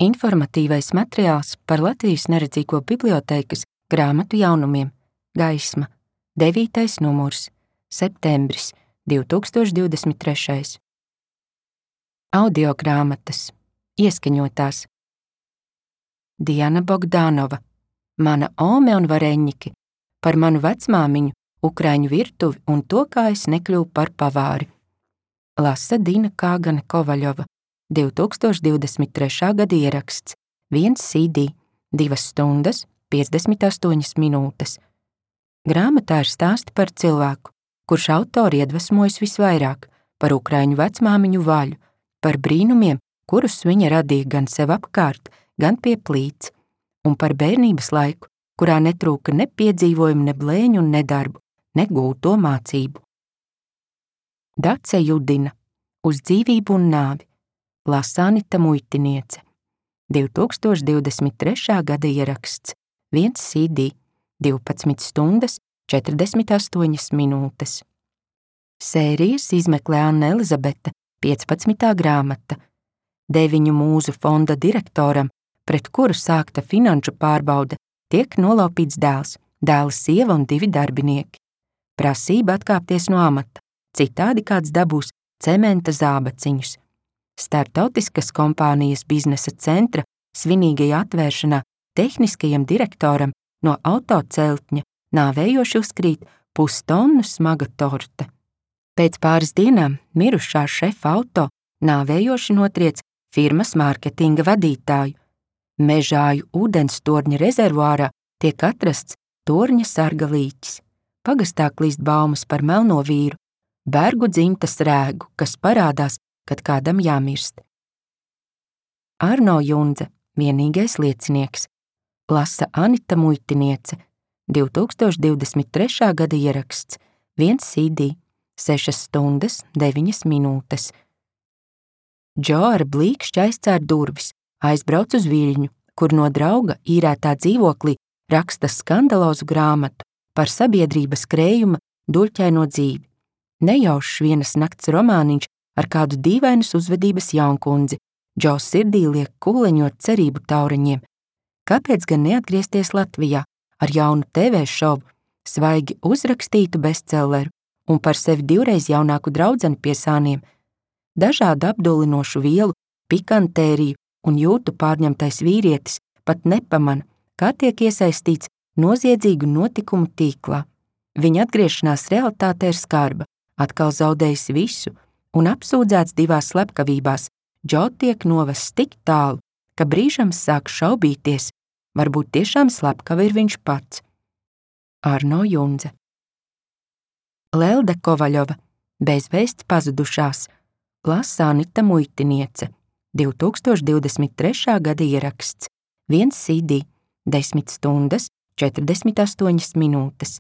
Informatīvais materiāls par Latvijas neredzīgo bibliotēkas grāmatu jaunumiem. Gaisma. 9. numurs. Septembris 2023. Audiogrāmatas. Ieskaņotās. Diana Bogdanova. Mana ome un vareņķi. Par manu vecmāmiņu, ukraiņu virtuvi un to, kā es nekļuvu par pavāri. Lasa Dina Kāgane Kovaļova. 2023. gada ieraksts. 1 CD. 2 stundas, 58 minūtes. Grāmatā ir stāsti par cilvēku, kurš autori iedvesmojas visvairāk, par ukraiņu vecmāmiņu Vaļu, par brīnumiem, kurus viņa radīja gan sev apkārt, gan pie plīts, un par bērnības laiku, kurā netrūka ne piedzīvojumu, ne blēņu un nedarbu, ne gūto mācību. Dace Judina. Uz dzīvību un nāvi. Lasa Anita Muitiniece. 2023. gada ieraksts. 1 CD. 12 stundas, 48 minūtes. Sērijas izmeklē Anna Elizabete, 15. grāmata. 9 mūzu fonda direktoram, pret kuru sākta finanšu pārbaude, tiek nolaupīts dēls, dēla sieva un 2 darbinieki. Prasība atkāpties no amata, citādi kāds dabūs cementa zābaciņus. Startautiskas kompānijas biznesa centra svinīgajā atvēršanā tehniskajam direktoram no autoceltņa nāvējoši uzkrīt pustonu smaga torte. Pēc pāris dienām mirušā šefa auto nāvējoši notriec firmas mārketinga vadītāju. Mežāju ūdens torņa rezervuārā tiek atrasts torņa sarga līķis. Pagastā klīst baumas par melno vīru, Bergu dzimtas rēgu, kas parādās, kad kādam jāmirst. Arno Jundze, vienīgais liecinieks. Lasa Anita Muitiniece. 2023. gada ieraksts. 1 CD. 6 stundas, 9 minūtes. Džo ar blīkšķi aizcēr durvis, aizbrauc uz Viļņu, kur no drauga īrētā dzīvoklī raksta skandalozu grāmatu par sabiedrības krējuma duļķaino dzīvi. Nejaušs vienas nakts romāniņš ar kādu dīvainas uzvedības jaunkundzi. Džo sirdī liek kūleņot cerību tauriņiem. Kāpēc gan neatgriezties Latvijā ar jaunu TV šovu, svaigi uzrakstītu bestselleru un par sevi 2 jaunāku draudzeni pie sāniem? Dažādu apdulinošu vielu, pikantēriju un jūtu pārņemtais vīrietis pat nepamana, kā tiek iesaistīts noziedzīgu notikumu tīklā. Viņa atgriešanās realitāte ir skarba, atkal zaudējis visu un apsūdzēts 2 slepkavībās. Džo tiek novests tik tālu, ka brīžam sāk šaubīties, varbūt tiešām slepkava ir viņš pats. Arno Jundze. Lelde Kovaļova. Bezvēsts pazudušās. Lasa Anita Muitiniece. 2023. gada ieraksts. 1 CD. 10 stundas, 48 minūtes.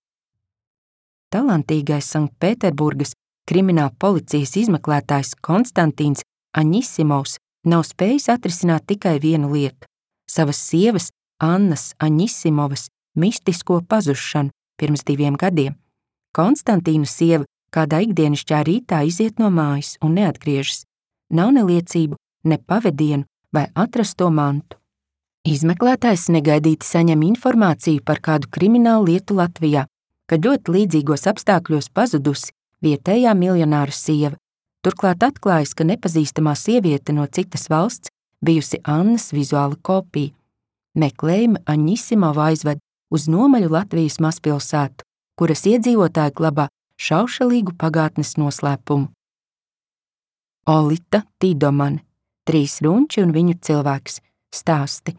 Talantīgais Sanktpēterburgas krimināla policijas izmeklētājs Konstantīns Aņisimovs nav spējis atrisināt tikai vienu lietu – savas sievas Annas Aņisimovas mistisko pazušanu pirms 2 gadiem. Konstantīna sieva kādā ikdienišķā rītā iziet no mājas un neatgriežas. Nav ne liecību, ne pavedienu vai atrasto mantu. Izmeklētājs negaidīti saņem informāciju par kādu kriminālu lietu Latvijā, kad ļoti līdzīgos apstākļos pazudusi vietējā miljonāra sieva. Turklāt atklājas, ka nepazīstamā sieviete no citas valsts bijusi Annas vizuāla kopija. Meklējumi Aņisimovu aizved uz nomaļu Latvijas mazpilsētu, kuras iedzīvotāji glabā šaušalīgu pagātnes noslēpumu. Olita Tidomane. 3 runči un viņu cilvēks. Stāsti.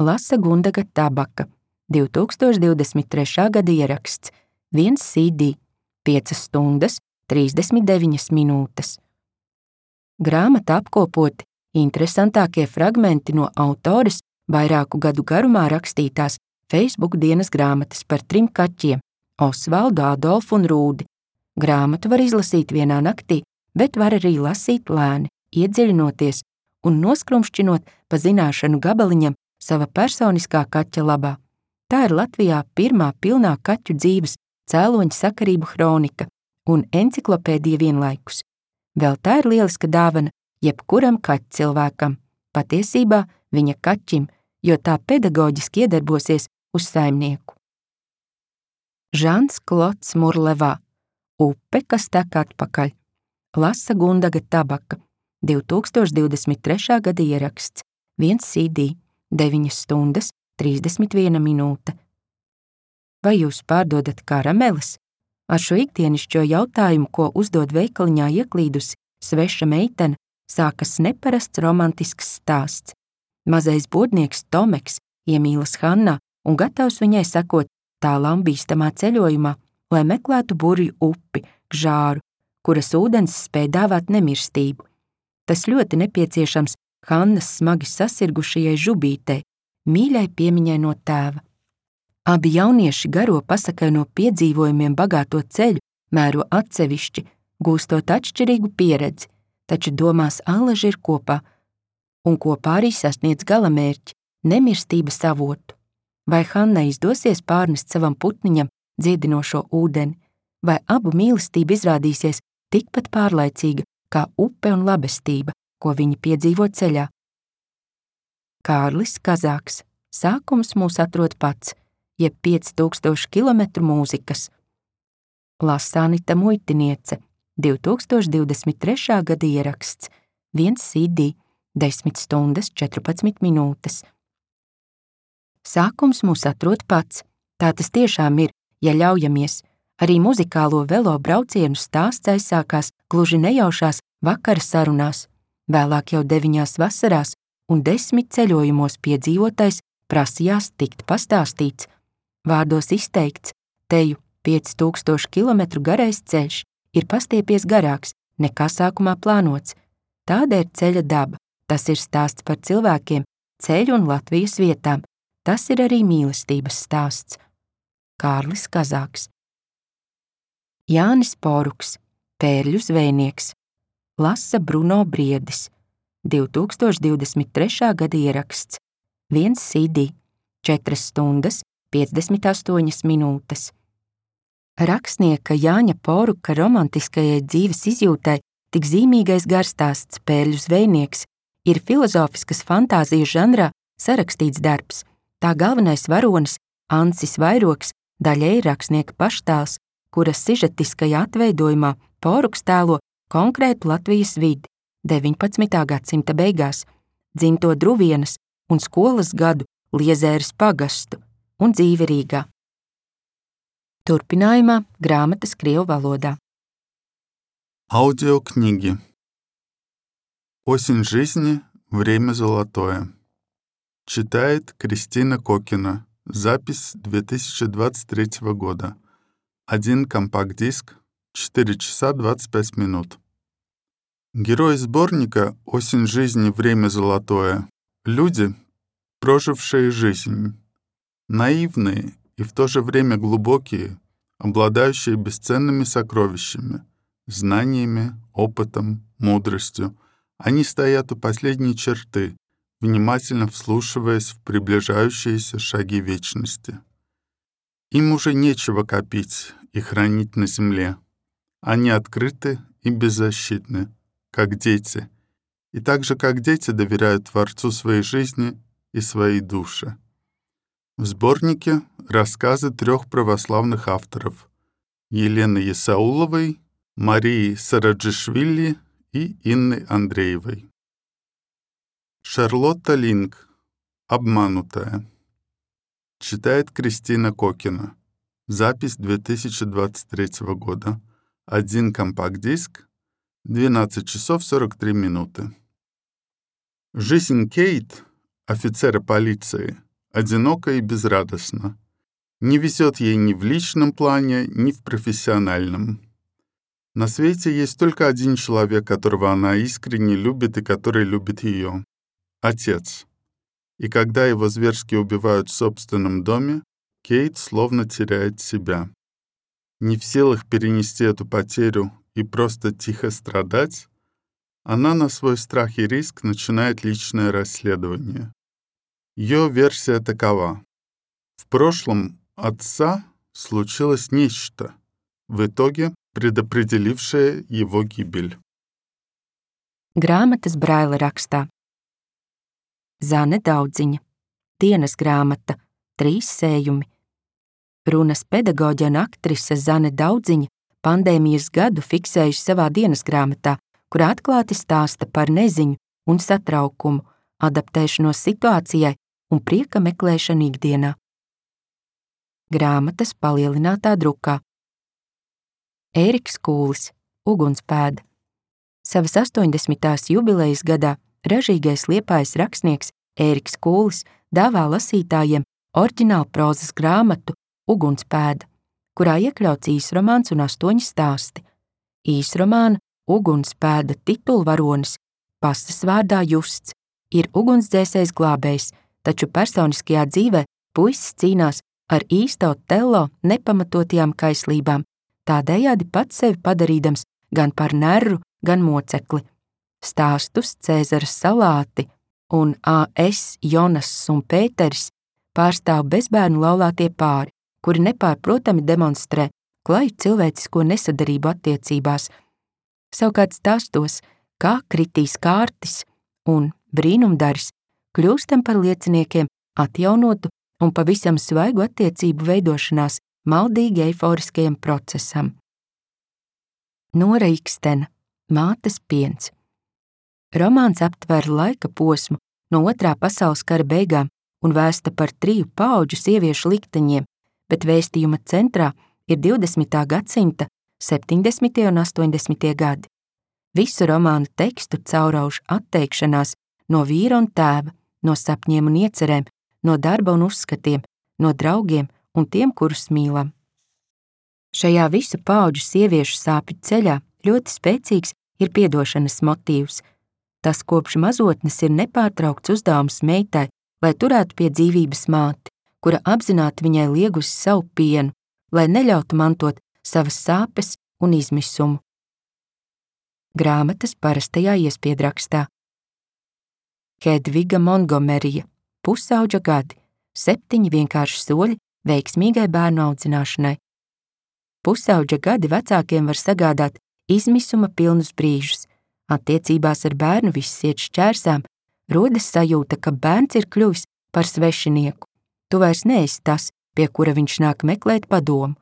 Lasa Gundaga Tabaka. 2023. gada ieraksts. 1 CD. 5 stundas, 39 minūtes. Grāmata apkopoti interesantākie fragmenti no autores vairāku gadu garumā rakstītās Facebook dienas grāmatas par 3 kaķiem – Osvaldu, Adolfu un Rūdi. Grāmatu var izlasīt vienā naktī, bet var arī lasīt lēni, iedziļinoties un noskrumšķinot pa zināšanu gabaliņam sava personiskā kaķa labā. Tā ir Latvijā pirmā pilnā kaķu dzīves cēloņa sakarību hronika un enciklopēdija vienlaikus. Vēl tā ir lieliska dāvana jebkuram kaķu cilvēkam. Patiesībā viņa kaķim, jo tā pedagoģiski iedarbosies uz saimnieku. Žans Klods Murlevā, Upe, kas tek atpakaļ. Lasa Gundaga Tabaka, 2023. gada ieraksts, 1 CD, 9 stundas, 31 minūte. Vai jūs pārdodat karameles? Ar šo ikdienišķo jautājumu, ko uzdod veikaliņā ieklīdusi sveša meitene, sākas neparasts romantisks stāsts. Mazais bodnieks Tomeks iemīlas Hannā un gatavs viņai sekot tālām bīstamā ceļojumā, lai meklētu burvju upi, Gžāru, kuras ūdens spēj dāvāt nemirstību. Tas ļoti nepieciešams Hannas smagi sasirgušajai žubītei, mīļai piemiņai no tēva. Abi jaunieši garo pasakaino piedzīvojumiem bagāto ceļu mēro atsevišķi, gūstot atšķirīgu pieredzi, taču domās allaži ir kopā, un kopā arī sasniedz galamērķi – nemirstības avotu. Vai Hanna izdosies pārnest savam putniņam dziedinošo ūdeni, vai abu mīlestība izrādīsies tikpat pārlaicīga kā upe un labestība, ko viņi piedzīvo ceļā. Kārlis Kazāks. Sākums mūs atrod pats, jeb 5000 kilometru mūzikas. Lasa Anita Muitiniece, 2023. gada ieraksts, 1 CD, 10 stundas, 14 minūtes. Sākums mūs atrod pats, tā tas tiešām ir, ja ļaujamies. Arī muzikālo velo braucienu stāsts aizsākās gluži nejaušās vakara sarunās, vēlāk jau 9 vasarās un 10 ceļojumos piedzīvotais prasījās tikt pastāstīts. Vārdos izteikts, teju 5000 kilometru garais ceļš ir pastiepies garāks, nekā sākumā plānots. Tāda ir ceļa daba, tas ir stāsts par cilvēkiem, ceļu un Latvijas vietām, tas ir arī mīlestības stāsts. Kārlis Kazāks. Jānis Poruks, Pērļu zvejnieks. Lasa Bruno Briedis, 2023. gada ieraksts, 1 CD, 4 stundas, 58 minūtes. Rakstnieka Jāņa Poruka romantiskajai dzīves izjūtai tik zīmīgais garstāsts Pērļu zvejnieks ir filozofiskas fantāzijas žanrā sarakstīts darbs. Tā galvenais varonis, Ancis Vairoks, daļēji rakstnieka paštēls, kuras sižetiskajā atveidojumā Poruks tēlo konkrētu Latvijas vidi 19. gadsimta beigās, dzimto Druvienas un skolas gadu Liezēras pagastu un dzīvi Rīgā. Turpinājumā grāmatas krievu valodā. Аудиокниги. Осень жизни. Время золотое. Читает Кристина Кокина. Запись 2023 года. 1 компакт-диск. 4 часа 25 минут. Герои сборника «Осень жизни. Время золотое» — люди, прожившие жизнь. Наивные и в то же время глубокие, обладающие бесценными сокровищами, знаниями, опытом, мудростью. Они стоят у последней черты, внимательно вслушиваясь в приближающиеся шаги вечности. Им уже нечего копить и хранить на земле. Они открыты и беззащитны, как дети, и так же, как дети, доверяют Творцу своей жизни и своей души. В сборнике рассказы 3 православных авторов — Елены Исауловой, Марии Сараджишвили и Инны Андреевой. Шарлотта Линк. Обманутая. Читает Кристина Кокина. Запись 2023 года. 1 компакт-диск. 12 часов 43 минуты. Жизнь Кейт, офицера полиции, одинока и безрадостна. Не везет ей ни в личном плане, ни в профессиональном. На свете есть только один человек, которого она искренне любит и который любит ее — отец. И когда его зверски убивают в собственном доме, Кейт словно теряет себя. Не в силах перенести эту потерю и просто тихо страдать, она на свой страх и риск начинает личное расследование. Ее версия такова. В прошлом отца случилось нечто, в итоге предопределившее его гибель. Grāmatas Braila rakstā. Zane Daudziņa, dienas grāmata, 3 sējumi. Runas pedagoģe un aktrise Zane Daudziņa pandēmijas gadu fiksējusi savā dienas grāmatā, kurā atklāti stāsta par neziņu un satraukumu, adaptēšanos situācijai un prieka meklēšanu ikdienā. Grāmatas palielinātā drukā. Ēriks Kūlis, Ugunspēda. Savas 80. jubilejas gadā ražīgais Liepājas rakstnieks Ēriks Kūlis dāvā lasītājiem oriģinālu prozas grāmatu Ugunspēda, kurā iekļauts īsromāns un 8 stāsti. Īsromāna Ugunspēda titulvaronis, pastas vārdā Justs, ir ugunsdzēsējs glābējs, taču personiskajā dzīvē puisis cīnās ar īsto Tello nepamatotajām kaislībām, tādējādi pats sevi padarīdams gan par nerru, gan mocekli. Stāstus Cēzaras salāti un A.S. Jonas un Pēteris pārstāv bezbērnu laulātie pāri, kuri nepārprotami demonstrē klaju cilvēcisko nesadarību attiecībās. Savukārt stāstos, kā Kritīs Kārtis un Brīnumdaris kļūstam par lieciniekiem atjaunotu un pavisam svaigu attiecību veidošanās maldīgi eiforiskajam procesam. Nora Ikstena, Mātes piens. Romāns aptver laika posmu no 2. pasaules kara beigām un vēsta par 3 paudžu sieviešu likteņiem, bet vēstījuma centrā ir 20. gadsimta 70. un 80. gadi. Visu romānu tekstu caurauž atteikšanās no vīra un tēva, no sapņiem un iecerēm, no darba un uzskatiem, no draugiem un tiem, kurus mīlam. Šajā visu paudžu sieviešu sāpju ceļā ļoti spēcīgs ir piedošanas motīvs. Tas kopš mazotnes ir nepārtraukts uzdevums meitai, lai turētu pie dzīvības māti, kura apzināti viņai liegusi savu pienu, lai neļautu mantot savas sāpes un izmisumu. Grāmatas parastajā iespiedrakstā. Hedviga Montgomerija, Pusauģa gadi, 7 vienkārši soļi veiksmīgai bērnu audzināšanai. Pusauģa gadi vecākiem var sagādāt izmisuma pilnus brīžus. Attiecībās ar bērnu viss iet šķērsām, rodas sajūta, ka bērns ir kļuvis par svešinieku. Tu vairs neesi tas, pie kura viņš nāk meklēt padomu.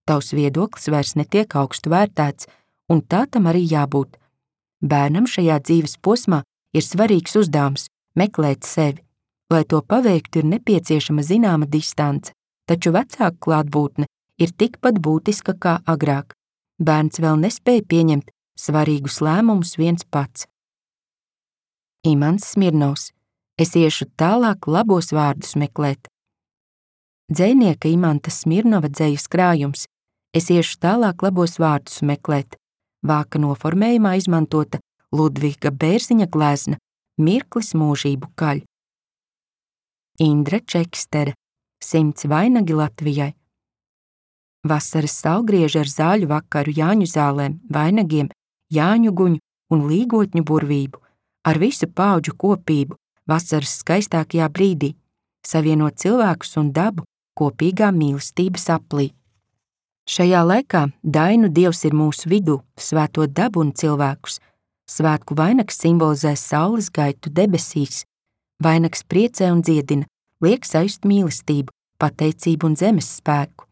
Tavs viedoklis vairs netiek augstu vērtēts, un tā tam arī jābūt. Bērnam šajā dzīves posmā ir svarīgs uzdevums meklēt sevi. Lai to paveiktu, ir nepieciešama zināma distance, taču vecāka klātbūtne ir tikpat būtiska kā agrāk. Bērns vēl nespēja pieņemt svarīgus lēmumus viens pats. Imants Smirnovs. Es iešu tālāk labos vārdus meklēt. Dzejnieka Imanta Smirnova dzejas krājums. Es iešu tālāk labos vārdus meklēt. Vāka noformējumā izmantota Ludviga Bērziņa glezna Mirklis mūžību kaļ. Indra Čekstere. 100 vainagi Latvijai. Vasaras saulgrieži ar zāļu vakaru Jāņu zālēm, vainagiem, Jāņu guņu un līgotņu burvību, ar visu paudžu kopību vasaras skaistākajā brīdī, savienot cilvēkus un dabu kopīgā mīlestības aplī. Šajā laikā dainu dievs ir mūsu vidū, svētot dabu un cilvēkus. Svētku vainags simbolizē saules gaitu debesīs. Vainags priecē un dziedina, liek sajust mīlestību, pateicību un zemes spēku.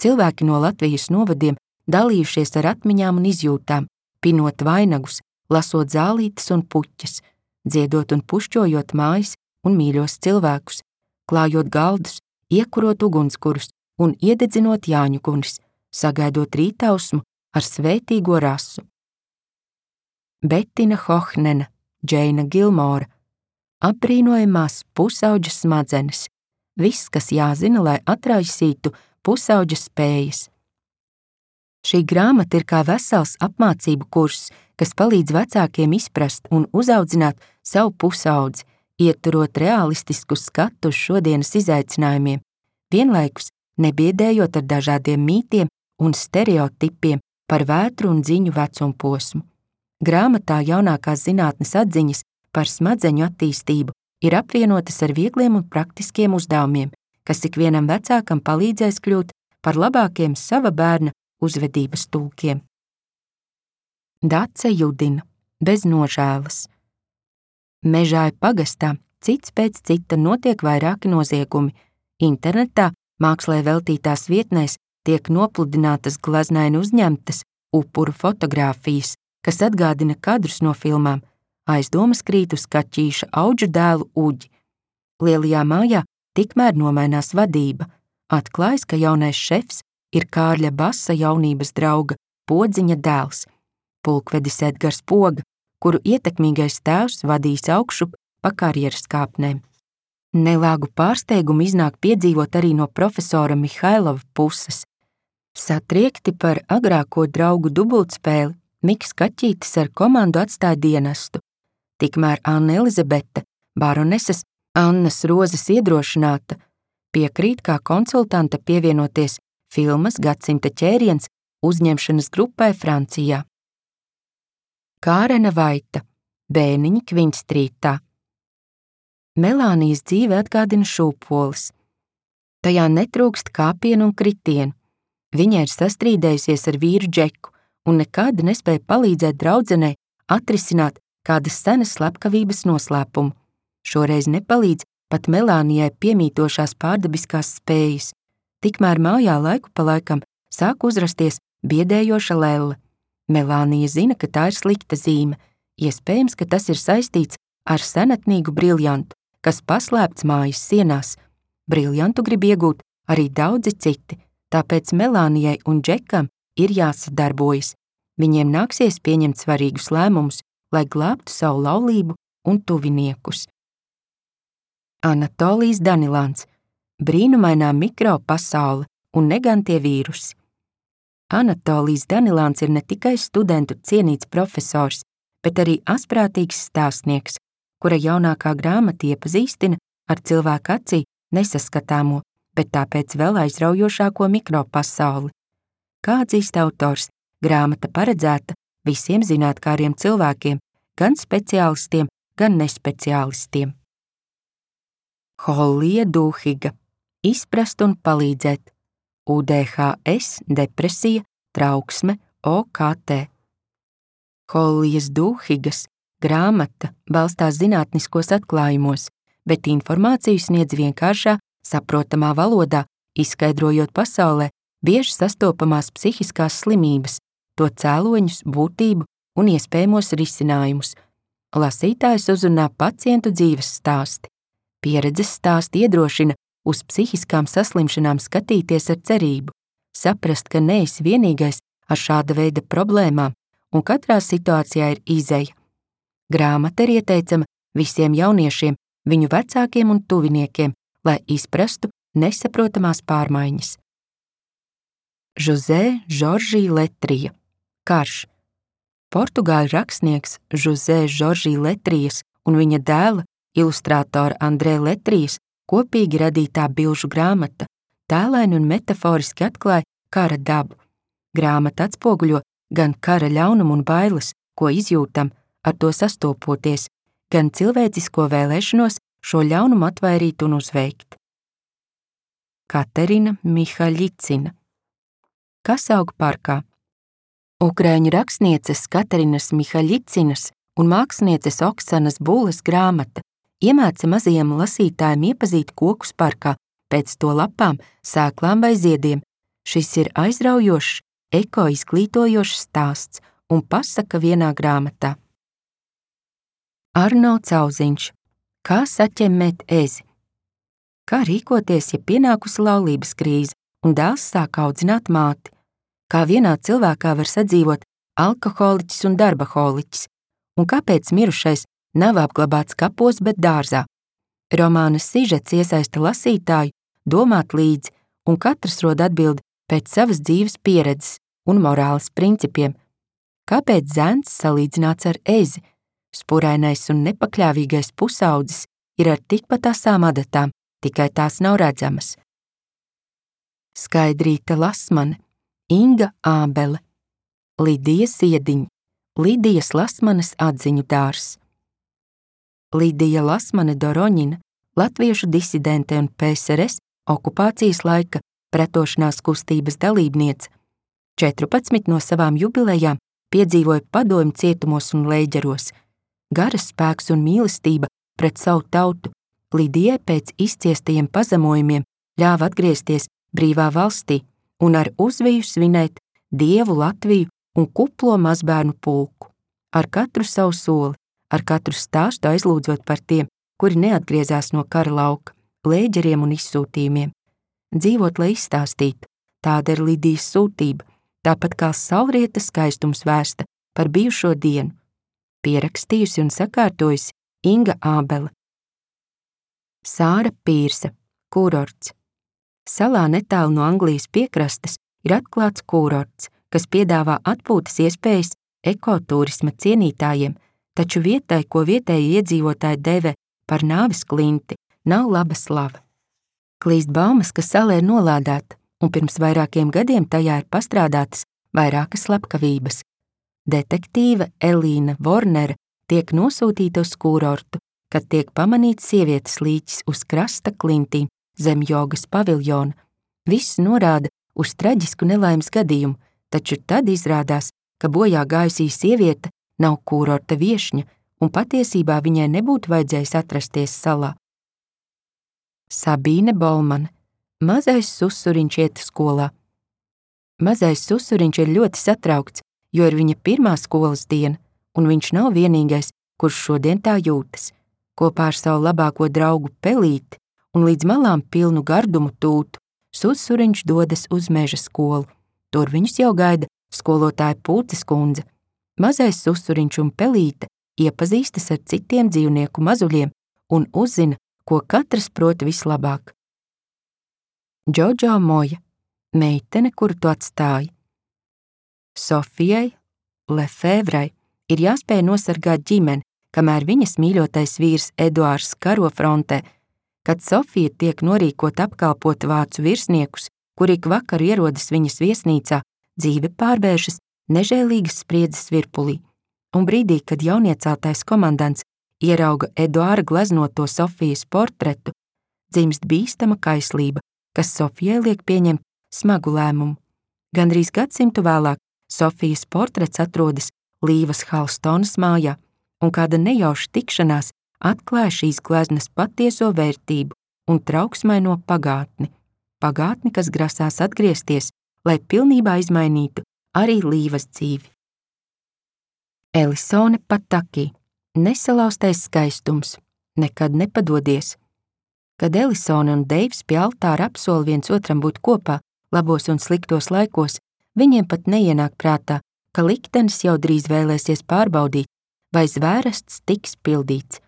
Cilvēki no Latvijas novadiem dalījušies ar atmiņām un izjūtām, pinot vainagus, lasot zālītes un puķes, dziedot un pušķojot mājas un mīļos cilvēkus, klājot galdus, iekurot ugunskurus un iededzinot Jāņu gunis, sagaidot rītausmu ar svētīgo rasu. Betina Hohnena, Džeina Gilmora. Apbrīnojamās pusauģa smadzenes. Viss, kas jāzina, lai atraisītu pusauģa spējas. Šī grāmata ir kā vesels apmācību kurs, kas palīdz vecākiem izprast un uzaudzināt savu pusaudzi, ieturot realistisku skatu uz šodienas izaicinājumiem, vienlaikus nebiedējot ar dažādiem mītiem un stereotipiem par vētru un dziņu vecumposmu. Grāmatā jaunākās zinātnes atziņas par smadzeņu attīstību ir apvienotas ar viegliem un praktiskiem uzdevumiem, kas ikvienam vecākam palīdzēs kļūt par labākiem sava bērna uzvedības tulkiem. Dace Judina, bez nožēlas. Mežāju pagastā cits pēc cita notiek vairāki noziegumi. Internetā mākslai veltītās vietnēs tiek nopludinātas glaznaini uzņemtas upuru fotogrāfijas, kas atgādina kadrus no filmām. Aizdomas krīt uz Kaķīša Audžu dēlu Uģi. Lielajā mājā tikmēr nomainās vadība. Atklājas, ka jaunais šefs ir Kārļa Basa jaunības drauga Podziņa dēls, pulkvedis Edgars Poga, kuru ietekmīgais tēvs vadīs augšup pa karjeras kāpnēm. Nelāgu pārsteigumu iznāk piedzīvot arī no profesora Mihailova puses. Satriekti par agrāko draugu dubultspēli, Miks Kaķītis ar komandu atstāja dienestu. Tikmēr Anna Elizabete, baroneses Annas Rozes iedrošināta, piekrīt kā konsultante pievienoties filmas Gadsimta ķēriens uzņemšanas grupai Francijā. Kārena Vaita, Bēniņi Kvinstrītā. Melānijas dzīve atgādina šūpoles. Tajā netrūkst kāpienu un kritienu. Viņa ir sastrīdējusies ar vīru Džeku un nekad nespēja palīdzēt draudzenei atrisināt kādas senas slepkavības noslēpumu. Šoreiz nepalīdz pat Melānijai piemītošās pārdabiskās spējas. Tikmēr mājā laiku pa laikam sāk uzrasties biedējoša lelle. Melānija zina, ka tā ir slikta zīme. Iespējams, ka tas ir saistīts ar senatnīgu briljantu, kas paslēpts mājas sienās. Briljantu grib iegūt arī daudzi citi, tāpēc Melānijai un Džekam ir jāsadarbojas. Viņiem nāksies pieņemt svarīgus lēmumus, lai glābtu savu laulību un tuviniekus. Anatolijs Danilāns, brīnumainā mikropasaule un negantie vīrusi. Anatolijs Danilāns ir ne tikai studentu cienīts profesors, bet arī asprātīgs stāstnieks, kura jaunākā grāmata iepazīstina ar cilvēku acī nesaskatāmo, bet tāpēc vēl aizraujošāko mikropasauli. Kā atzīst autors, grāmata paredzēta visiem zinātkāriem cilvēkiem, gan speciālistiem, gan nespeciālistiem. Hollija Dūhiga, izprast un palīdzēt. UDHS, depresija, trauksme, OKT. Hollijas Dūhigas grāmata balstās zinātniskos atklājumos, bet informāciju sniedz vienkāršā, saprotamā valodā, izskaidrojot pasaulē bieži sastopamās psihiskās slimības, to cēloņus, būtību un iespējamos risinājumus. Lasītājs uzrunā pacientu dzīves stāsti. Pieredzes stāsti iedrošina uz psihiskām saslimšanām skatīties ar cerību, saprast, ka neesi vienīgais ar šāda veida problēmām un katrā situācijā ir izeja. Grāmata ir ieteicama visiem jauniešiem, viņu vecākiem un tuviniekiem, lai izprastu nesaprotamās pārmaiņas. José Jorge Letrija, Karš. Portugāļu rakstnieks José Jorge Letrijas un viņa dēla, ilustrātora Andrē Letrijas, kopīgi radītā bilžu grāmata tēlaini un metaforiski atklāja kara dabu. Grāmata atspoguļo gan kara ļaunumu un bailes, ko izjūtam, ar to sastopoties, gan cilvēcisko vēlēšanos šo ļaunumu atvairīt un uzveikt. Katerina Mihaļicina. Kas aug parkā? Ukraiņu rakstnieces Katerinas Mihaļicinas un mākslinieces Oksanas Bulas grāmata iemāca mazajiem lasītājiem iepazīt kokus parkā, pēc to lapām, sēklām vai ziediem. Šis ir aizraujošs, eko-izglītojošs stāsts un pasaka vienā grāmatā. Arno Cauziņš. Kā saķemmēt ezi? Kā rīkoties, ja pienākusi laulības krīze un dēls sāk audzināt māti? Kā vienā cilvēkā var sadzīvot alkoholiķis un darbaholiķis? Un kāpēc mirušais nav apglabāts kapos, bet dārzā? Romāna sižets iesaista lasītāju domāt līdzi, un katrs rod atbildi pēc savas dzīves pieredzes un morāles principiem. Kāpēc zēns salīdzināts ar ezi? Spurainais un nepakļāvīgais pusaudzis ir ar tikpat asām adatām, tikai tās nav redzamas. Skaidrīta Lasmane, Inga Ābele, Lidija Ziediņa, Lidijas Lasmanes atziņu dārzs. Lidija Lasmane Doroņina, latviešu disidente un PSRS okupācijas laika pretošanās kustības dalībniece. 14 no savām jubilejām piedzīvoja padomju cietumos un lēģeros. Garas spēks un mīlestība pret savu tautu, Lidijai pēc izciestajiem pazemojumiem ļāva atgriezties brīvā valstī un ar uzviju svinēt Dievu, Latviju un kuplo mazbērnu pulku. Ar katru savu soli, ar katru stāstu aizlūdzot par tiem, kuri neatgriezās no kara lauka, lēģeriem un izsūtījumiem. Dzīvot, lai izstāstītu, tāda ir Lidijas sūtība, tāpat kā saulrieta skaistums vēsta par bijušo dienu. Pierakstījusi un sakārtojusi Inga Ābele. Sāra Pīrsa, kurorts. Salā netālu no Anglijas piekrastes ir atklāts kurorts, kas piedāvā atpūtas iespējas ekotūrisma cienītājiem, taču vietai, ko vietēji iedzīvotāji dēvē par nāves klinti, nav laba slava. Klīst baumas, ka sala ir nolādēta, un pirms vairākiem gadiem tajā ir pastrādātas vairākas slepkavības. Detektīve Elīna Vornere tiek nosūtīta uz kurortu, kad tiek pamanīts sievietes līķis uz krasta klintīm zem jogas paviljona. Viss norāda uz traģisku nelaimes gadījumu, taču tad izrādās, ka bojā gājusī sieviete nav kurorta viešņa un patiesībā viņai nebūtu vajadzējis atrasties salā. Sabīne Bolmane, mazais susuriņš iet skolā. Mazais susuriņš ir ļoti satraukts, jo ir viņa pirmā skolas diena, un viņš nav vienīgais, kurš šodien tā jūtas. Kopā ar savu labāko draugu Pelīti un līdz malām pilnu gardumu tūtu, susuriņš dodas uz meža skolu. Tur viņus jau gaida skolotāja Pūces kundze. Mazais susuriņš un Pelīte iepazīstas ar citiem dzīvnieku mazuļiem un uzzina, ko katrs prot vislabāk. Džodžo Moja, meitene, kuru tu atstāji. Sofijai Lefevrai ir jāspēj nosargāt ģimeni, kamēr viņas mīļotais vīrs Eduārds karo frontē. Kad Sofija tiek norīkot apkalpot vācu virsniekus, kuri ik vakaru ierodas viņas viesnīcā, dzīve pārvēršas nežēlīgas spriedzes virpulī. Un brīdī, kad jaunieceltais komandants ierauga Eduārda gleznoto Sofijas portretu, dzimst bīstama kaislība, kas Sofijai liek pieņemt smagu lēmumu. Gandrīz gadsimtu vēlāk Sofijas portrets atrodas Līvas Halstonas mājā, un kāda nejauša tikšanās atklāja šīs gleznas patieso vērtību un trauksmaino pagātni. Pagātni, kas grasās atgriezties, lai pilnībā izmainītu arī Līvas dzīvi. Elisone Pataki, nesalauztais skaistums, nekad nepadodies. Kad Elisone un Deivs pie altāra apsola viens otram būt kopā labos un sliktos laikos, viņiem pat neienāk prātā, ka liktenis jau drīz vēlēsies pārbaudīt, vai zvērests tiks pildīts.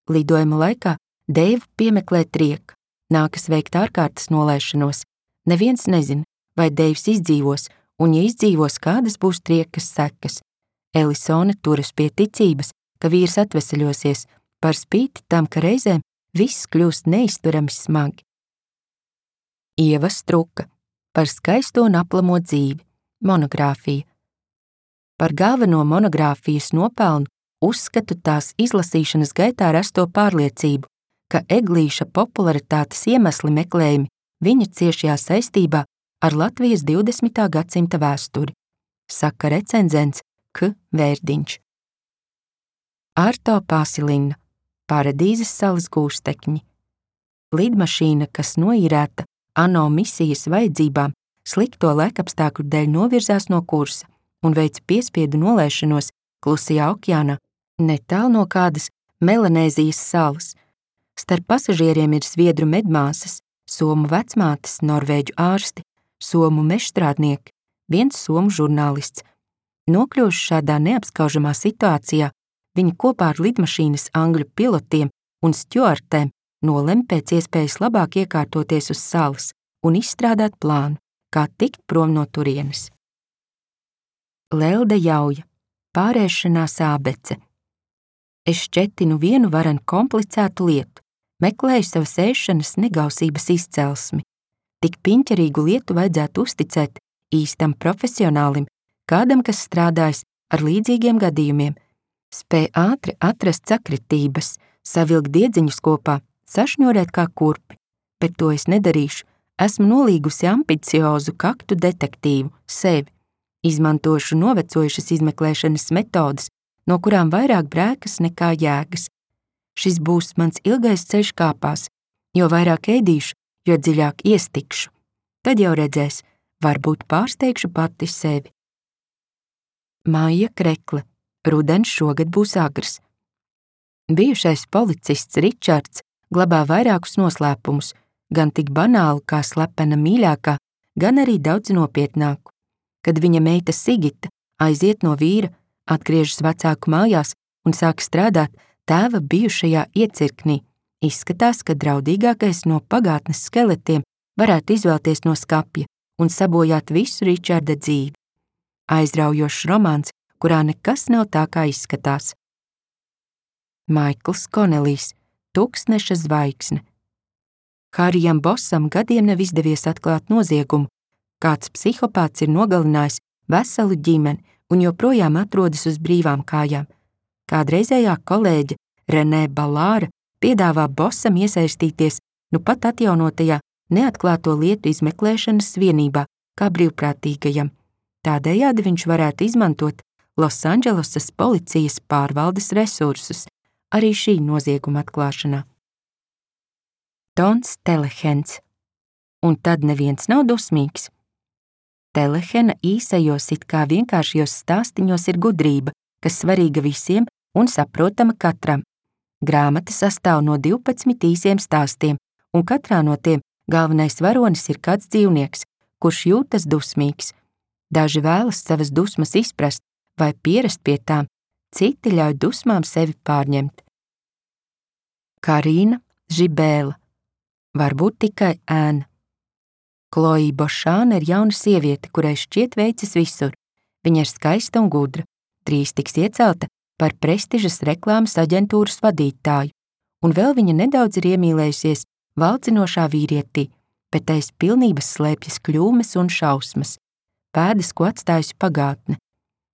Lidojuma laikā Deivu piemeklē trieka, nākas veikt ārkārtas nolaišanos. Neviens nezina, vai Deivs izdzīvos, un ja izdzīvos, kādas būs triekas sekas. Elisone turas pie ticības, ka vīrs atveseļosies, par spīti tam, ka reizēm viss kļūst neizturami smagi. Ieva Struka, par skaisto un aplamo dzīvi, monogrāfija. Par galveno monogrāfijas nopelnu uzskatu tās izlasīšanas gaitā rasto pārliecību, ka Eglīša popularitātes iemesli meklējumi viņa ciešajā saistībā ar Latvijas 20. gadsimta vēsturi, saka recenzents K. Vērdiņš. Arto Pasilina, Paradīzes salas gūstekņi. Lidmašīna, kas noīrēta ANO misijas vajadzībām, slikto laikapstākļu dēļ novirzās no kursa un veic piespiedu nolaišanos Klusajā okeānā, netālu no kādas Melanēzijas salas. Starp pasažieriem ir zviedru medmāsas, somu vecmātes, norvēģu ārsti, somu mežstrādnieki, viens somu žurnālists. Nokļuvuši šādā neapskaužamā situācijā, viņi kopā ar lidmašīnas angļu pilotiem un stjuartēm nolem pēc iespējas labāk iekārtoties uz salas un izstrādāt plānu, kā tikt prom no turienes. Lelde Jauja, pārēšanās ābece. Es šķetinu vienu varen komplicētu lietu, meklēju savas ēšanas negausības izcelsmi. Tik piņķerīgu lietu vajadzētu uzticēt īstam profesionālim, kādam, kas strādājis ar līdzīgiem gadījumiem, spēj ātri atrast sakritības, savilkt diedziņus kopā, sašņurēt kā kurpi, bet to es nedarīšu, esmu nolīgusi ambiciozu kaktu detektīvu, sevi, izmantošu novecojušas izmeklēšanas metodas, no kurām vairāk brēkas nekā jēgas. Šis būs mans ilgais ceļš kāpās, jo vairāk ēdīšu, jo dziļāk iestikšu. Tad jau redzēs, varbūt pārsteigšu pati sevi. Maija Krekle. Rudens šogad būs agrs. Bijušais policists Ričards glabā vairākus noslēpumus, gan tik banālu kā slepena mīļākā, gan arī daudz nopietnāku. Kad viņa meita Sigita aiziet no vīra, atgriežas vecāku mājās un sāk strādāt tēva bijušajā iecirknī, izskatās, ka draudīgākais no pagātnes skeletiem varētu izvēlties no skapja un sabojāt visu Ričarda dzīvi. Aizraujošs romāns, kurā nekas nav tā, kā izskatās. Maikls Konelijs. Tuksneša zvaigzne. Harijam Bosam gadiem nav izdevies atklāt noziegumu. Kāds psihopāts ir nogalinājis veselu ģimeni un joprojām atrodas uz brīvām kājām. Kādreizējā kolēģe Renē Balāra piedāvā Bosam iesaistīties nu pat atjaunotajā neatklāto lietu izmeklēšanas vienībā kā brīvprātīgajam. Tādējādi viņš varētu izmantot Losandželosas policijas pārvaldes resursus arī šī nozieguma atklāšanā. Tons Telehens. Un tad neviens nav dusmīgs. Telehena īsajos it kā vienkāršajos stāstiņos ir gudrība, kas svarīga visiem un saprotama katram. Grāmata sastāv no 12 īsiem stāstiem, un katrā no tiem galvenais varonis ir kāds dzīvnieks, kurš jūtas dusmīgs. Daži vēlas savas dusmas izprast vai pierast pie tām, citi ļauj dusmām sevi pārņemt. Karīna Žibēla. Varbūt tikai ēna. Kloja Bošāna ir jauna sieviete, kurai šķiet veicas visur. Viņa ir skaista un gudra, drīz tiks iecelta par prestižas reklāmas aģentūras vadītāju, un vēl viņa nedaudz ir iemīlējusies valdzinošā vīrietī, bet aiz pilnības slēpjas kļūmes un šausmas, pēdas, ko atstājusi pagātne.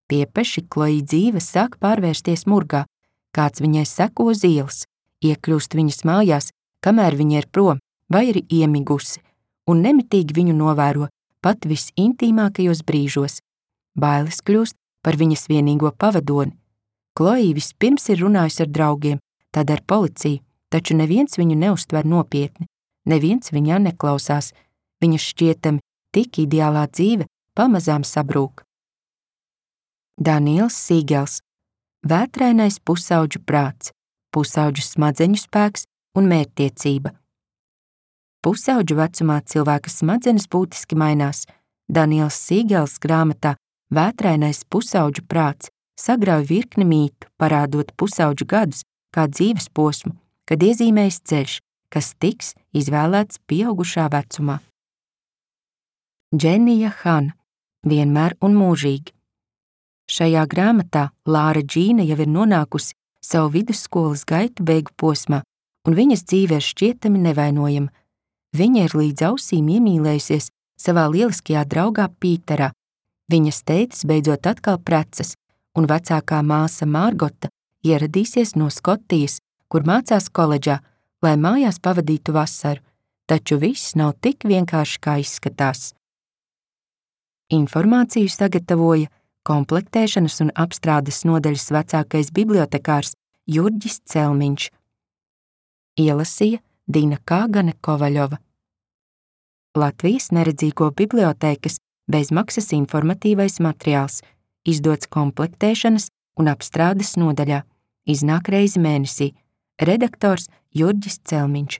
Piepeši Kloja dzīve sāk pārvērsties murgā, kāds viņai seko uz ielas, iekļūst viņas mājās, kamēr viņa ir prom vai ir iemigusi, un nemitīgi viņu novēro pat visintīmākajos brīžos. Bailes kļūst par viņas vienīgo pavadoni. Kloja vispirms ir runājusi ar draugiem, tad ar policiju, taču neviens viņu neuztver nopietni, neviens viņā neklausās, viņas šķietami tik ideālā dzīve pamazām sabrūk. Daniels Sīgels. Vētrainais pusauģu prāts, pusauģu smadzeņu spēks un mērķtiecība. Pusauģu vecumā cilvēka smadzenes būtiski mainās. Daniels Sīgels grāmatā Vētrainais pusauģu prāts sagrauj virkni mītu, parādot pusauģu gadus kā dzīves posmu, kad iezīmējas ceļš, kas tiks izvēlēts pieaugušā vecumā. Dženija Hana. Vienmēr un mūžīgi. Šajā grāmatā Lāra Džīna jau ir nonākusi savu vidusskolas gaitu beigu posmā, un viņas dzīve ir šķietami nevainojama. Viņa ir līdz ausīm iemīlējusies savā lieliskajā draugā Pīterā. Viņas tētis beidzot atkal precas, un vecākā māsa Mārgota ieradīsies no Skotijas, kur mācās koledžā, lai mājās pavadītu vasaru, taču viss nav tik vienkārši, kā izskatās. Informāciju sagatavoja komplektēšanas un apstrādes nodaļas vecākais bibliotekārs Jurģis Celmiņš. Ielasīja Dina Kāgane Kovaļova. Latvijas neredzīgo bibliotēkas bezmaksas informatīvais materiāls, izdots komplektēšanas un apstrādes nodaļā, iznāk reizi mēnesī, redaktors Jurģis Celmiņš.